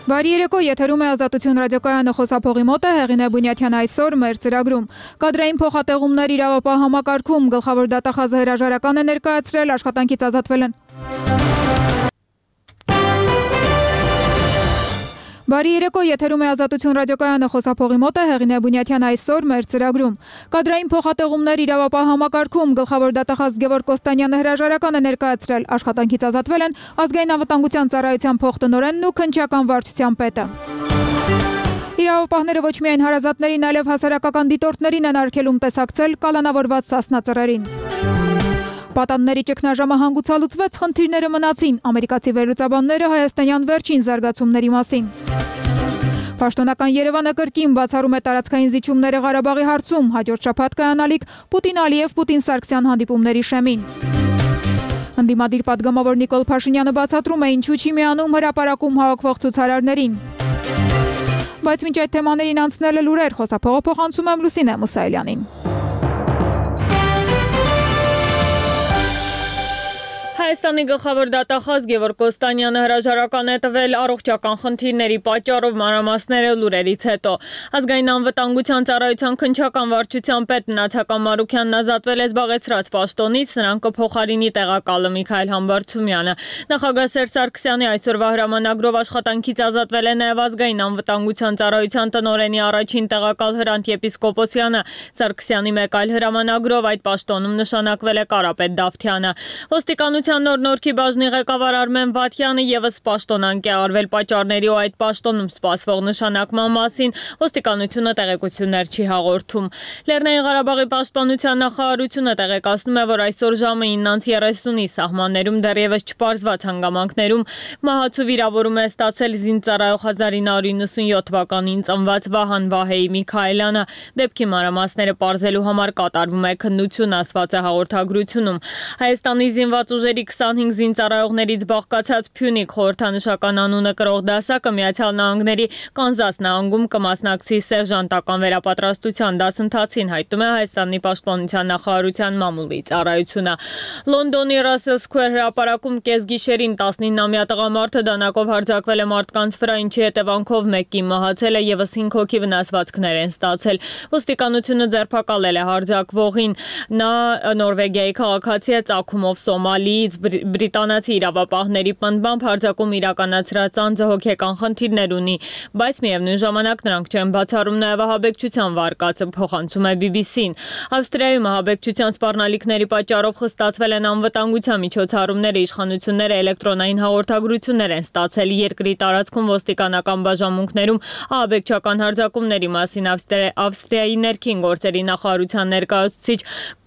Բարի երեկո, եթերում է Ազատություն ռադիոկայանը, խոսափողի մոտ է Հեղինե Բունյաթյան այսօր մեր ծրագրում։ Կադրային փոխատեղումներ իրավապահ համակարգում գլխավոր դատախազը հրաժարական է ներկայացրել, աշխատանքից ազատվել են։ Բարի երեկո, եթերում է Ազատություն ռադիոկայանը, խոսափողի մոտ է Հեղինե Բունյաթյան այսօր մեր ծրագրում։ Կադրային փոխատեղումներ իրավապահ համակարգում գլխավոր դատախազ Գևորգ Կոստանյանը հրաժարական է ներկայացրել, աշխատանքից ազատվել են Ազգային անվտանգության ծառայության փոխտնօրենն ու քննչական վարչության պետը։ Իրավապահները ոչ միայն հարազատներին, այլև հասարակական դիտորդներին են արգելում տեսակցել կալանավորված սասնածռերին։ Պատանների ճգնաժամը հանգուցալուծվեց, խնդիրները մնացին, ամերիկացի վերլուծաբանները հայաստանյան վերջին զարգացումների մասին։ Պաշտոնական Երևանը կրկին բացառում է տարածքային զիջումները Ղարաբաղի հարցում, հաջորդ շաբաթ կայանալիք Պուտին-Ալիև Պուտին-Սարգսյան հանդիպումների շեմին։ Ընդդիմադիր պատգամավոր Նիկոլ Փաշինյանը բացատրում է, ինչու չի միանում հրապարակում հավաքվող ցուցարարներին։ Բայց մինչ այդ թեմաներին անցնելը լուրեր, խոսափողը փոխանցում եմ Լուսինե Մուսայելյանին։ Հայաստանի գլխավոր դատախազ Գևորգ Կոստանյանը հրաժարական է տվել առողջական խնդիրների պատճառով մանրամասները լուրերից հետո։ Ազգային անվտանգության ծառայության քննչական վարչության պետ Նացական Մարուքյանն ազատվել է զբաղեցրած պաշտոնից, նրան կփոխարինի տեղակալը Միքայել Համբարձումյանը։ Նախագահ Սերժ Սարգսյանի այսօրվա հրամանագրով աշխատանքից ազատվել է նաև Ազգային անվտանգության ծառայության տնօրենի առաջին տեղակալ Հրանտ Եպիսկոպոսյանը։ Սարգսյանի մեկ այլ հրամանագրով այդ պաշտոնում նշանակվել է Կարապետ Դավթյանը։ Ոստիկանության նոր Նորքի բաժնի ղեկավար Արմեն Վաթյանը ևս պաշտոնանկ է արվել պատճառների ու այդ պաշտոնում սպասվող նշանակման մասին, ոստիկանությունը տեղեկություններ չի հաղորդում։ Լեռնային Ղարաբաղի պաշտպանության նախարարությունը տեղեկացնում է, որ այսօր ժամը 9:30-ի սահմաններում դեռևս չպարզված հանգամանքներում մահացու վիրավորում է ստացել զինծառայող 1997 թվականին ծնված Վահան Վահեի Միքայելյանը։ Դեպքի մանրամասները պարզելու համար կատարվում է քննություն, ասված է հաղորդագրությունում։ Հայաստանի զինված ուժերի 25 զինծառայողներից բաղկացած Փյունիկ խորհրդանշական անունը կրող դասակը Միացյալ Նահանգների Կանզաս նահանգում կմասնակցի սերժանտական վերապատրաստության դասընթացին, հայտնում է Հայաստանի պաշտպանության նախարարության մամուլի ծառայությունը։ Լոնդոնի Russell Square հրապարակում կեսգիշերին 19-ամյա տղամարդը դանակով հարձակվել է մարդկանց վրա, ինչի հետևանքով մեկի մահացել է, ևս 5 հոգի վնասվածքներ են ստացել։ Ոստիկանությունը ձերբակալել է հարձակվողին։ Նա Նորվեգիայի քաղաքացի է, ծագումով Սոմալիից, բրիտանացի իրավապահների պնդմամբ հարձակում իրականացրած անձը հոգեկան խնդիրներ ունի, բայց միևնույն ժամանակ նրանք չեն բացառում նաև ահաբեկչության վարկածը, փոխանցում է BBC-ն։ Ավստրիայում ահաբեկչության սպառնալիքների պատճառով խստացվել են անվտանգության միջոցառումները, իշխանությունները էլեկտրոնային հաղորդագրություններ են ստացել երկրի տարածքում ոստիկանական բաժանմունքներում ահաբեկչական հարձակումների մասին Ավստրիայի ներքին գործերի նախարարության ներկայացուցիչ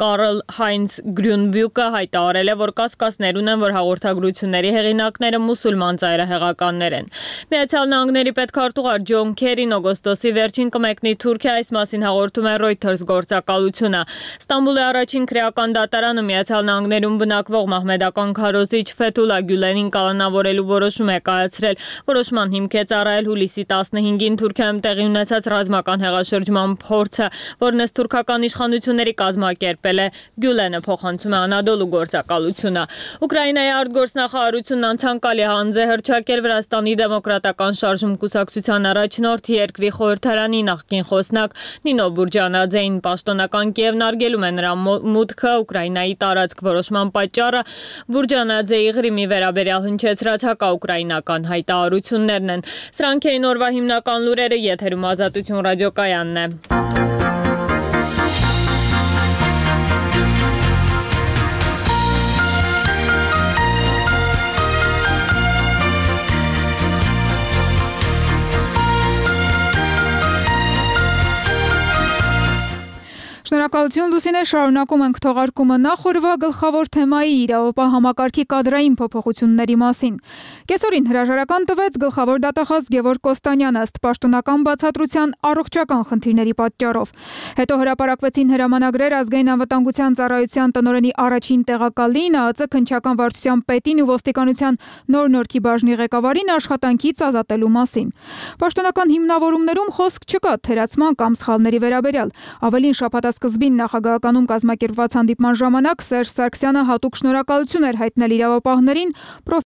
Կարլ Հայնց Գրյունբյուկը հայտարարել է, որ կասկածներ ունեն, որ հաղորդագրությունների հեղինակները մուսուլման ծայրահեղականներ են։ Միացյալ Նահանգների պետքարտուղար Ջոն Քերին օգոստոսի վերջին կմեկնի Թուրքիա, այս մասին հաղորդում է Reuters գործակալությունը։ Ստամբուլի առաջին քրեական դատարանը Միացյալ Նահանգներում բնակվող մահմեդական քարոզիչ Ֆեթուլա Գյուլենին կալանավորելու որոշում է կայացրել։ Որոշման հիմք է ծառայել հուլիսի 15-ին Թուրքիայում տեղի ունեցած ռազմական հեղաշրջման փորձը, որն ըստ թուրքական իշխանությունների կազմակերպել է Գյուլենը, փոխանցում է Անադոլու գործակալությունը։ Ուկրաինայի արտգործնախարարությունն անցանկալի հանձ է հռչակել Վրաստանի դեմոկրատական շարժում կուսակցության առաջնորդ երկրի խորհրդարանի նախկին խոսնակ Նինո Բուրջանաձեին։ Պաշտոնական Կիևն արգելում է նրա մուտքը Ուկրաինայի տարածք, որոշման պատճառը Բուրջանաձեի Ղրիմի վերաբերյալ հնչեցրած հակաուկրաինական հայտարարություններն են։ Սրանք էին օրվա հիմնական լուրերը, եթերում Ազատություն ռադիոկայանն է։ Շնորհակալություն Լուսինե, շարունակում ենք թողարկումը նախորդ գլխավոր թեմայի իրավապահ համակարգի կադրային փոփոխությունների մասին։ Կեսօրին հրաժարական տվեց գլխավոր դատախազ Գևորգ Կոստանյանը ըստ պաշտոնական բացատրության առողջական խնդիրների պատճառով։ Հետո հրապարակվեցին հրամանագրեր Ազգային անվտանգության ծառայության տնօրենի առաջին տեղակալին, ԱԱԾ քննչական վարչության պետին ու ոստիկանության նոր Նորքի բաժնի ղեկավարին աշխատանքից ազատելու մասին։ Պաշտոնական հիմնավորումներում խոսք չկա թերացման կամ սխալների վերաբերյալ։ Ավելին շաբաթասկզբին նախագահականում կազմակերպված հանդիպման ժամանակ Սերժ Սարգսյանը հատուկ շնորհակալություն էր հայտնել իրավապահներին,